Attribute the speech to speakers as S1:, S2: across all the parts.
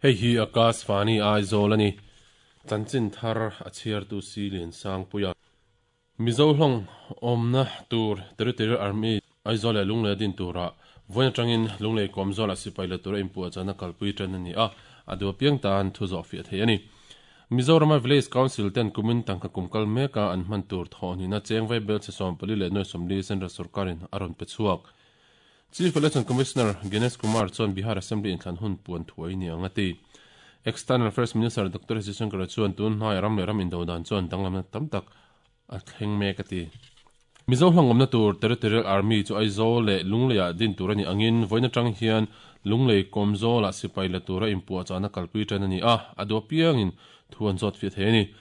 S1: Hei hi Akashvani Aizawl a ni. Chanchin thar a chhiartu si Liansangpuia. Mizo hlawng awmna tur Territorial Army Aizawl leh Lunglei a din turah vawiin atangin Lunglei Kawmzawlah sipai la tura inpuahchahna kalpui tan a ni a, a duh apiang tan thu zawh fiah thei a ni. Mizorama Village Council ten kumin tangka kum kal meka an hman tur thawhnihna cheng vaibel chhe 14 leh nuai 40 Central sorkarin a rawn pe chhuak. Chief Election Commissioner Gyanesh Kumar chuan Bihar Assembly inthlan hun puan thuai ni ang a ti. External Affairs Minister Doctor S Jaishankar chuan tun hnaiah ram leh ram indo dan chuan danglamna tam tak a thleng mek a ti. Mizo hlangawmna tur Territorial Army chu Aizawl leh Lungleiah din tur a nih angin vawiin atang hian Lunglei Kawmzawlah sipai la tura inpuahchahna kalpui tan a ni a, a duh apiangin thu an zawt fiah thei a ni.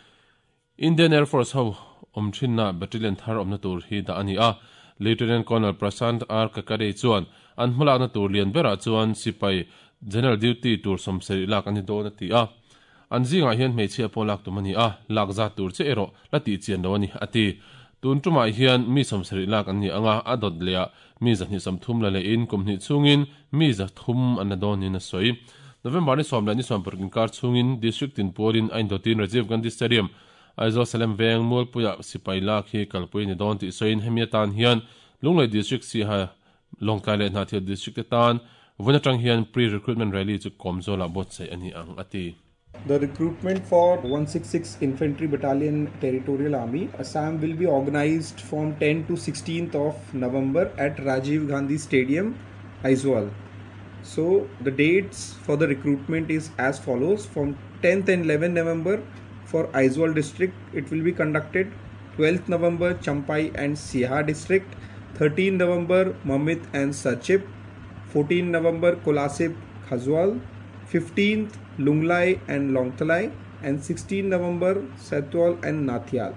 S1: Indian Air Force ho awm thinna battalion thar awmna tur hi dah a ni a, Lieutenant Colonel Prashant R Kakade chuan an hmalakna tur lian berah chuan sipai General Duty tur 70 lak a ni dawn a ti a. An zingah hian hmeichhia pawh lak tum a ni a, lak zat tur che erawh la tih chian lo a ni, a ti. Tun tumah hian mi 70 lak an ni ang a, a dawt lehah mi 230 la lehin kum hnih chhungin mi 300 an la dawn niin a sawi. November ni 10 leh ni 16 inkar chhungin District tin pualin a indawtin Rajiv Gandhi Stadium, Aizawl Salem Veng, Mualpuiah sipai lak hi kalpui a ni dawn tih sawiin hemi atan hian Lunglei District Siaha Lawngtlai leh Hnahthial District te tan vawiin atang hian pre-recruitment rally chu Kawmzawlah buatsaih a ni ang, a ti.
S2: The recruitment for 166 Infantry Battalion Territorial Army, Assam will be organised from 10 to 16th of November at Rajiv Gandhi Stadium, Aizawl. So the dates for the recruitment is as follows. From 10th and 11th November for Aizawl district, it will be conducted. 12th November, Champhai and Siaha district. 13th November, Mamit and Serchhip. 14th November, Kolasib, Khawzawl. 15th, Lunglei and Lawngtlai, and 16th November, Saitual and Hnahthial.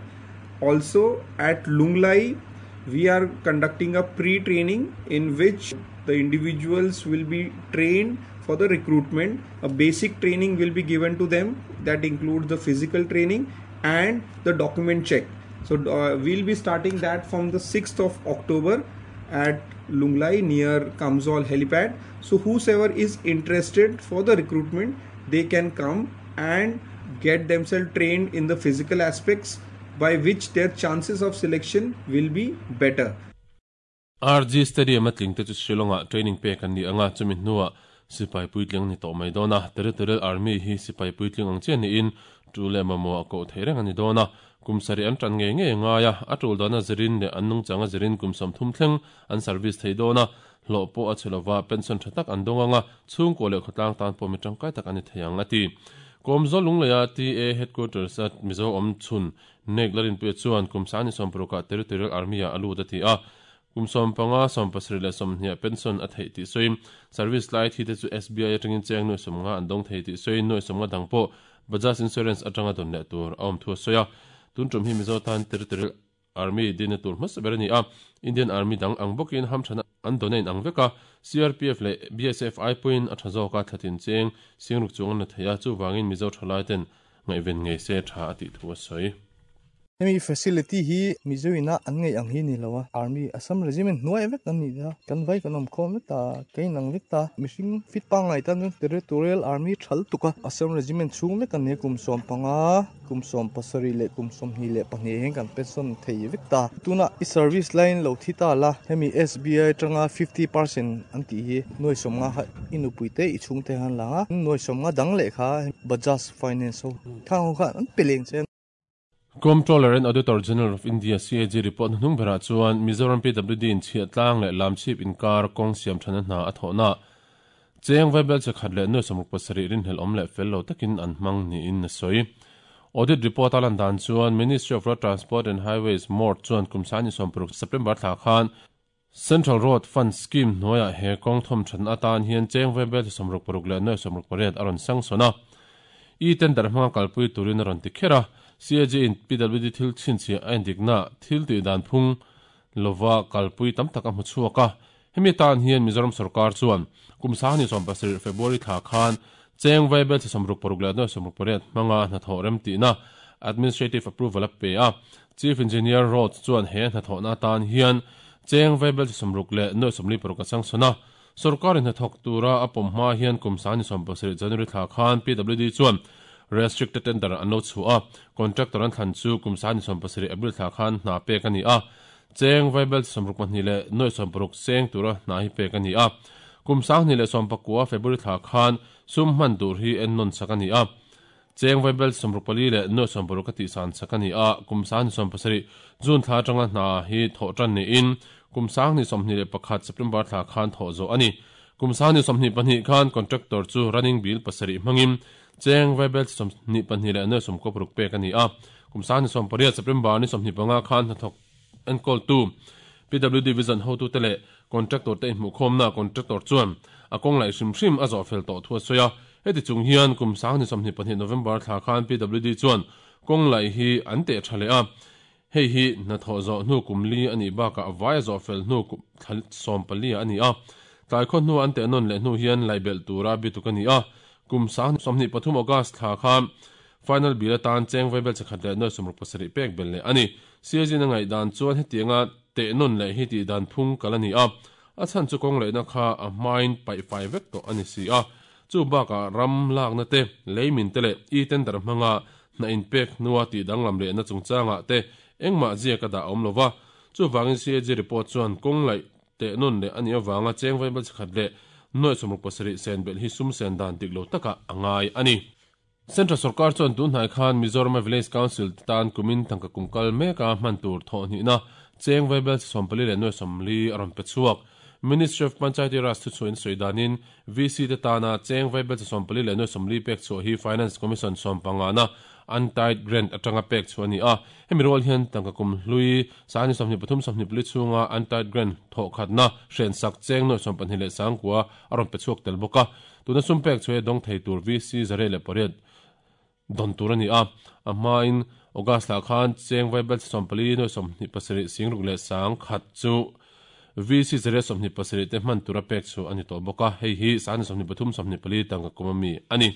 S2: Also at Lunglei, we are conducting a pre-training in which the individuals will be trained for the recruitment. A basic training will be given to them that includes the physical training and the document check. So we'll be starting that from the 6th of October at Lunglei near Kamzol helipad. So whosoever is interested for the recruitment, they can come and get themselves trained in the physical aspects, by which their chances of selection will be better.
S1: RG Stadium a tling te chu Shillong-ah training pek an ni ang a, chumi hnuah sipai puitling an ni tawh mai dawn a. Territorial Army hi sipai puitling ang chiah niin tu leh mamawh a koh theih reng a ni dawn a. Kum sarih an tan ngei ngei a ngai a, a tul dana zirin leh an nungchang a zirin kum 30 thleng an service thei dawn a, hlawh pawh a chhe lova, pension tha tak an dawng ang a, chhungkaw leh khawtlang tan pawh mi tangkai tak a ni thei ang, a ti. Kawmzawl Lungleia TA Headquarters a Mizo awm chhun Nek Larinpuia chuan kum sangni 60 ah Territorial Army-ah a lut a ti a, kum 15, 70 leh 20 ah pension a theih tih sawiin service lai thi te chu SBI atangin cheng nuai 50 an dawng thei tih sawiin nuai 50 dang pawh Bajaj Insurance atanga dawn leh tur a awm thu a sawi a. Tun tum hi Mizo tan Territorial Army dinna tur hmasa ber a ni a, Indian Army dang ang bawkin hamthana an donate ang vek a, CRPF leh BSF ai pawhin a tha zawk a, thlatin cheng singruk chung an la thei a, chuvangin Mizo thalai ten ngaihven ngei se tha a tih thu a sawi.
S3: Hemi facility hi Mizo ina an ngaih ang hi ni lo a, Army Assam Regiment hnuai vek an nih a, kan vai kan awm khawm vek ta, ka inang vek ta, mihring fit pangngai tan chuan Territorial Army tha lutuk a, Assam Regiment chhung vek an ni a, kum 15. Kum 70 leh kum 22 hian kan pension thei vek ta. Tunah i service line lo thi ta la, hemi SBI atanga 50% an tih hi nuai 50 kha i nupui te i chhung te khan lang a, nuai 50 dang leh kha Bajaj Finance ho khang ho khan an pe leng che a.
S1: Comptroller and Auditor General of India, CAG, report hnuhnung berah chuan Mizoram PWD in chhiah tlang leh lamchhip inkar kawng siam thana hna a thawhna Cheng Vaibel che khat leh nuai 67 rinhlelh awm leh fel lo takin an hmang niin a sawi. Audit report a lan dan chuan Ministry of Road Transport and Highways, MORT, chuan kum 26 September thla khan Central Road Fund Scheme hnuaiah he kawng thawm thatna atan hian Cheng Vaibel che 66 leh nuai 68 a rawn sangshawn a. E-tender hmanga kalpui turin a rawn ti kher a. CAG in PWD thil chhinchhiah a endikna thil tih dan phung lova kalpui tam tak a hmu chhuak a. Hemi atan hian Mizoram sorkar chuan kum 27 February thla khan cheng vaibel chi 66 leh nuai 68 hmanga hnathawh remtihna administrative approval a pe a. Chief Engineer Roads chuan he hnathawhna atan hian cheng vaibel chi 60 leh nuai 46 a changsawn a. Sorkarin hna thawk tura a pawm hma hian kum 2017 January thla khan PWD chuan restricted tender an lo chhuah a, contractor an thlan chu kum 2017 April thla khan hna pek a ni a. Cheng vaibel 62.60 seng tura hna hi pek a ni a. Kum 2019 February thla khan sum hman tur hi en nawn sak a ni a. Cheng vaibel 64.60 a tihsan sak a ni a. Kum 2017 June thla atanga hna hi thawh tan niin kum 2021 September thla khan thawh zawh a ni. Kum 2022 khan contractor chu running bill 7 hmangin cheng vaibel 22.96 pek a ni a. Kum 2018 September ni 25 khan hnathawk enkawltu PWD Division hotu te leh contractor te inhmuhkhawmna contractor chuan a kawng laih hrim hrim a zawh fel tawh thu a sawi a. Heti chung hian kum 2022 November thla khan PWD chuan kawng laih hi an teh tha leh a. Hei hi hnathawh zawh hnu kum li a nih bakah vai a zawh fel hnu kum thla 14 a ni a. Tlai khaw hnu an teh nawn leh hnu hian laih belh tura bituk a ni a. Kum 2023 August thla khan final bill atan cheng vaibel 1.67 pek bel leh a ni. CAG na ngaih dan chuan hetianga teh nawn leh hi tih dan phung kal a ni a. A chhan chu kawng lehna kha a hmain paih fai vek tawh a ni si a. Chu bakah ram lakna te, leimin te leh e-tender hmanga hna inpek hnua tih danglam lehna chungchangah te engmah ziak a dah awm lova. Chuvangin CAG report chuan kawng laih teh nawn leh a nih avanga cheng vaibel 1.67 sen belh hi sum sen dan dik lo takah a ngai a ni. Central Sarkar chuan tun hnai khan Mizoram Village Council te tan kumin tangka kum kal meka hman tur thawh hnihna cheng vaibel 44.40 a rawn pe chhuak. Ministry of Panchayati Raj thu chhuahin sawi danin VC te tana cheng vaibel 44.40 pek chhuah hi Finance Commission 15 na untied grant atanga pek chhuah a ni a. Hemi rual hian tangka kum hlui 2023 chhunga untied grant thawh khatna hren sak cheng 22.9 a rawn pe chhuak tel bawk a. Tuna sum pek chhuah dawng thei tur VC 108 don tur a ni a. A hmain August thla khan cheng vaibel 44.27 singruk leh sang khat chu VC 127 te hman tura pek chu a ni tawh bawk a. Hei hi 2023 tangka kum ami a ni.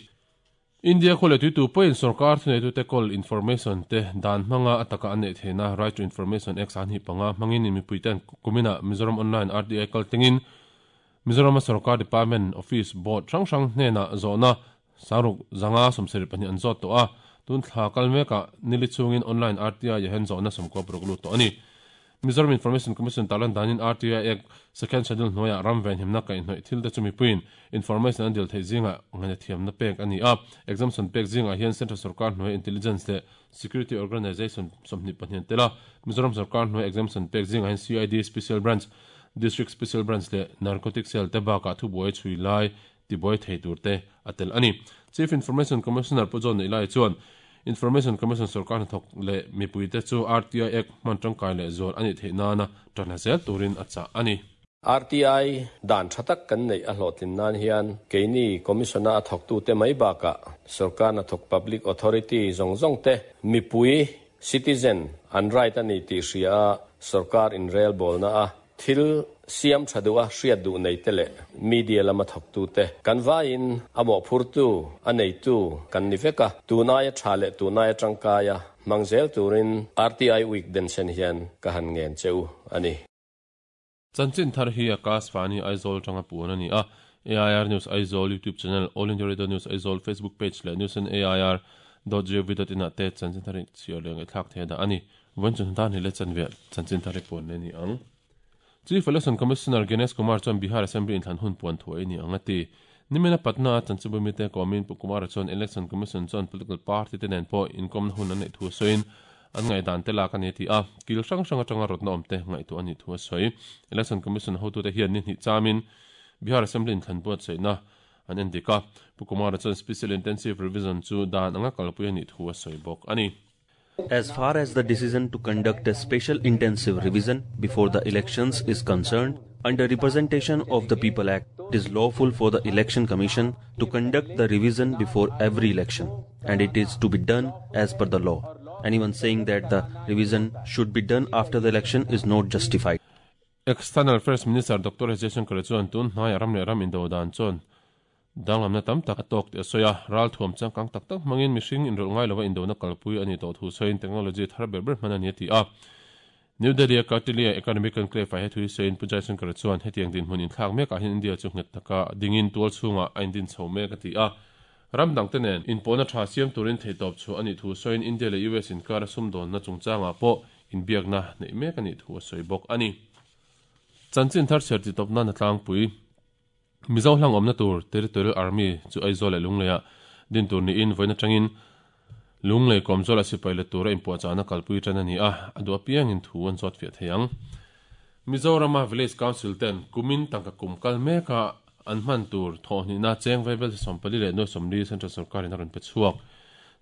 S1: India khawle tuitu pawhin sarkar thuneitu te call information te dan hmanga ataka an nei theina Right to Information Act an hi panga hmangin mipui ten kumina Mizoram Online RTI kal tlingin Mizoram sarkar department office board hrang hrang hnena zawhna sangruk zanga 72 an zawt tawh a. Tun thla kal meka nili chungin online RTI yahen zawhna 96 lut tawh a ni. Mizoram Information Commission talan danin RTI Act second schedule hnuaiah ram ven himna kaih hnawih thil te chu mipuiin information an dil theih zinga ngaina thiamna pek a ni a. Exemption pek zingah hian Central Sarkar hnuai Intelligence leh Security Organization 22 tela Mizoram Sarkar hnuai exemption pek zingah hian CID Special Branch, District Special Branch leh Narcotic Cell te bakah thubuai chhui lai tibuai thei tur te a tel a ni. Chief Information Commissioner Pu John Neilai chuan Information Commission sarkar hnathawk leh mipui te chu RTI Act hman tangkai leh zual ani theih nana tanla zel turin a chah a ni.
S4: RTI dan thatak kan nei a hlotlin nan hian keini commissiona a thawk tu te mai bakah sarkar hnathawk public authority zawng zawng te mipui citizen an right ani tih hria a sarkar in rel bawlna a thil siam thadu a hriat duh nei te leh media lama thawk tu te kan vaiin a mawh phur tu a nei tu kan ni veka tunai a tha leh tunai a tangkai a hmang zel turin RTI week den sen hian ka han ngen cheu ani.
S1: Chanchin thar hi Akash Vani Aizawl tanga puan ani a. AIR News Aizawl YouTube channel, All India Radio News Aizawl Facebook page leh news on AIR dot gov dot in ah te chanchin thar hi chhiar leh ngaihthlak thei dah ani. Vawiin chu hna ni le chanve chanchin thar hi puan le ni ang. Chief Election Commissioner Ganesh Kumar chuan Bihar Assembly inthlan hun puan thu ai ni ang a ti. Nimina Patna chanchibui mite komin Pu Kumar chuan Election Commission chuan political party te nen pawh inkomna hun an neih thu a sawiin an ngaih dan te lak ani ti a. Kil hrang hrang atanga rawtna awm te ngaih tu ani thu a sawi. Election Commission hotu te hian ni hnih chamin Bihar Assembly inthlan buat saihna an en dik a. Pu Kumar chuan Special Intensive Revision chu dan anga kalpui ani thu a sawi bawk ani.
S5: As far as the decision to conduct a special intensive revision before the elections is concerned, under Representation of the People Act, it is lawful for the Election Commission to conduct the revision before every election, and it is to be done as per the law. Anyone saying that the revision should be done after the election is not justified.
S1: External Affairs Minister Dr. S. Jaishankar chuan tun hnai ram leh ram indo dan chuan danglamna tam tak a tawk ti a sawi a. Ral thuam changkang tak tak hmangin mihring inrawlh ngai lova indo na kalpui ani tawh thu sawiin technology thar ber ber hman ani a ti a. New Delhi-a Kautilya Economic Conclave-ah he thu hi sawiin Pu Jaishankar chuan hetiang dinhmun inthlak mekah hian India chu nghet taka dingin tual chhungah a indin chho mek a ti a. Ram dangte nen inpawhna tha siam turin theihtawp chhuah a nih thu sawiin India leh US inkara sumdawnna chungchangah pawh inbiakna neih mek a nih thu a sawi bawk a ni. Chanchin thar chhiar titawp nana tlangpui Mizo hlang awmna tur Territorial Army chu Aizawl leh Lungleiah din tur niin vawiin atangin Lunglei kawmzawla sipai let tura inpuahchahna kalpui tan a ni a, a duh apiangin thu an zawt fiah thei ang. Mizorama Village Council ten kumin tangka kum kal meka an hman tur thawhhnihna cheng vaibel 44 leh nuai 40 Central Sorkarin a rawn pe chhuak.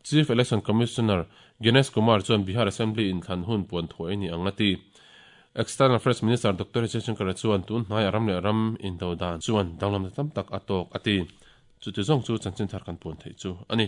S1: Chief Election Commissioner Gyanesh Kumar chuan Bihar Assembly inthlan hun puan thuai a ni ang a ti. External Affairs Minister Doctor Jaishankar chuan tun hnaiah ram leh ram indo dan chuan danglamna tam tak a tawk a ti. Chuti zawng chu chanchin thar kan puan theih chu a ni.